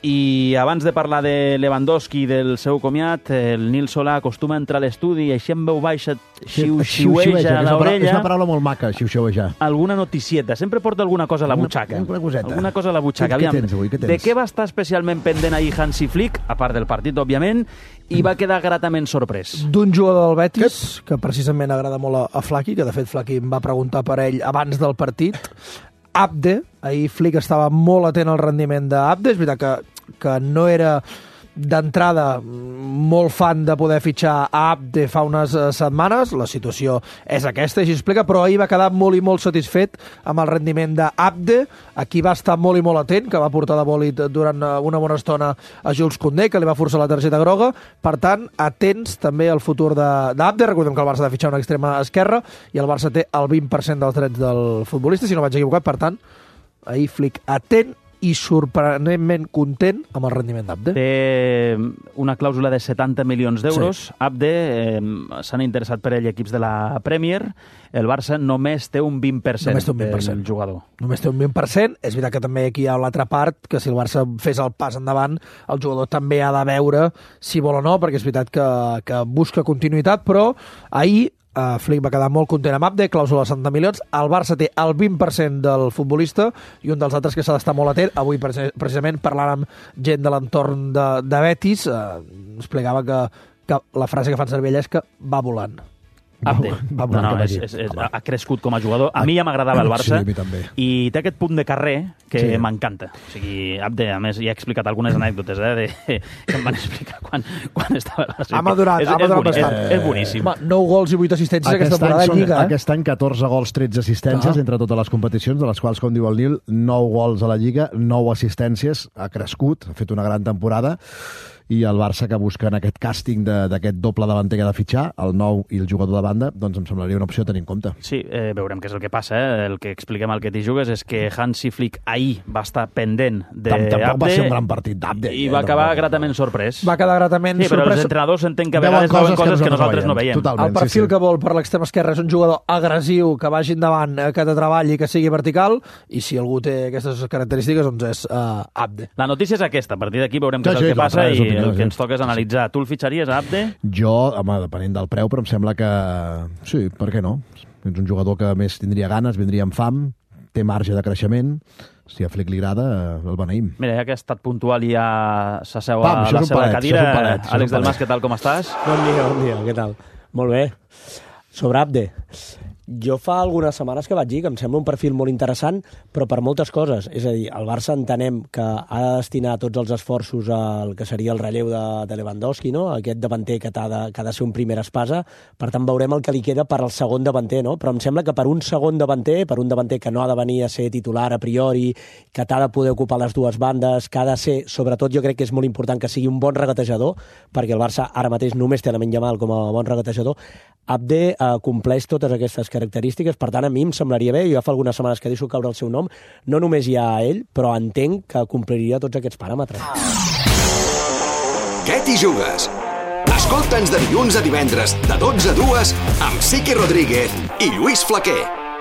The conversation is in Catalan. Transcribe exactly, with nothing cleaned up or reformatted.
I abans de parlar de Lewandowski i del seu comiat, el Nil Solà acostuma a entrar a l'estudi i així en veu baixa xiu-xiueja a l'orella. És una paraula molt maca, xiu-xiuejar. Alguna noticieta. Sempre porta alguna cosa a la butxaca. Una coseta. Alguna cosa a la butxaca. Què tens avui? Què tens? De què va estar especialment pendent ahir Hansi Flick, a part del partit, òbviament, i va quedar gratament sorprès? D'un jugador del Betis, que precisament agrada molt a, a Flaqui, que de fet Flaqui em va preguntar per ell abans del partit. Abde, ahir Flick estava molt atent al rendiment d'Abde, és veritat que que no era d'entrada molt fan de poder fitxar a Abde fa unes setmanes, la situació és aquesta, així explica, però ahir va quedar molt i molt satisfet amb el rendiment d'Abde, aquí va estar molt i molt atent, que va portar de bòlit durant una bona estona a Jules Koundé, que li va forçar la targeta groga, per tant, atents també al futur d'Abde, recordem que el Barça ha de fitxar una extrema esquerra, i el Barça té el vint per cent dels drets del futbolista, si no vaig equivocat, per tant, ahir Flick atent i sorprenentment content amb el rendiment d'Abde. Té una clàusula de setanta milions d'euros. Sí. Abde, eh, s'han interessat per ell equips de la Premier. El Barça només té un vint per cent, un vint per cent del jugador. Només té un vint per cent. És veritat que també aquí hi ha l'altra part, que si el Barça fes el pas endavant, el jugador també ha de veure si vol o no, perquè és veritat que, que busca continuïtat, però ahir Uh, Flick va quedar molt content amb Abde, clàusula de setanta milions. El Barça té el vint per cent del futbolista i un dels altres que s'ha d'estar molt atent. Avui, precisament, parlant amb gent de l'entorn de, de Betis, uh, explicava que, que la frase que fan servir ella és que va volant. Abde. Va, va no, no, és, és, és, ha crescut com a jugador. A mi ja m'agradava el Barça. Sí, a mi també. I té aquest punt de carrer que sí. m'encanta. O sigui, Abde, a més, ja he explicat algunes anècdotes, eh, de, que em van explicar quan, quan estava a la Ha madurat, ha madurat bastant. És, és boníssim. Home, nou gols i vuit assistències aquest aquesta temporada de Lliga. Eh? Aquest any catorze gols, tretze assistències ah. entre totes les competicions, de les quals, com diu el Nil, nou gols a la Lliga, nou assistències, ha crescut, ha fet una gran temporada, i el Barça que busca en aquest càsting d'aquest doble davanter que ha de fitxar, el nou i el jugador de banda, doncs em semblaria una opció a tenir en compte. Sí, eh, veurem què és el que passa. Eh? El que expliquem al que t'hi jugues és que Hansi Flick ahir va estar pendent d'Abde. Tampoc va ser un gran partit d'Abde. I va acabar gratament sorprès. Va quedar gratament sí, però sorprès. els entrenadors entenc que a vegades veuen coses que, que nosaltres no veiem. Totalment, el perfil sí, sí. que vol per l'extrema esquerra és un jugador agressiu, que vagi endavant, que te treballi, que sigui vertical, i si algú té aquestes característiques, doncs és uh, Abde. La notícia és aquesta. A partir d'aquí veurem què és el que passa i el que ens toca és analitzar. Tu el fitxaries a Abde? Jo, home, depenent del preu, però em sembla que sí, per què no? És un jugador que més tindria ganes, vindria amb fam, té marge de creixement, si a Flick li agrada, el beneïm. Mira, ja que ha estat puntual i ja s'asseu a la seva palet, cadira, palet, Àlex Delmas, què tal, com estàs? Bon dia, bon dia, què tal? Molt bé. Sobre Abde, jo fa algunes setmanes que vaig dir que em sembla un perfil molt interessant, però per moltes coses. És a dir, el Barça entenem que ha de destinar tots els esforços al que seria el relleu de, de Lewandowski, no? Aquest davanter que, ha de, que ha de ser un primer espasa. Per tant, veurem el que li queda per al segon davanter, no? Però em sembla que per un segon davanter, per un davanter que no ha de venir a ser titular a priori, que t'ha de poder ocupar les dues bandes, que ha de ser, sobretot jo crec que és molt important que sigui un bon regatejador, perquè el Barça ara mateix només té Lamine Yamal com a bon regatejador. Abde eh, compleix totes aquestes característiques, per tant a mi em semblaria bé, jo ja fa algunes setmanes que deixo caure el seu nom, no només hi ha ell, però entenc que compliria tots aquests paràmetres. Què t'hi jugues? Escolta'ns de dilluns a divendres de dotze a dues amb Siqui Rodríguez i Lluís Flaquer.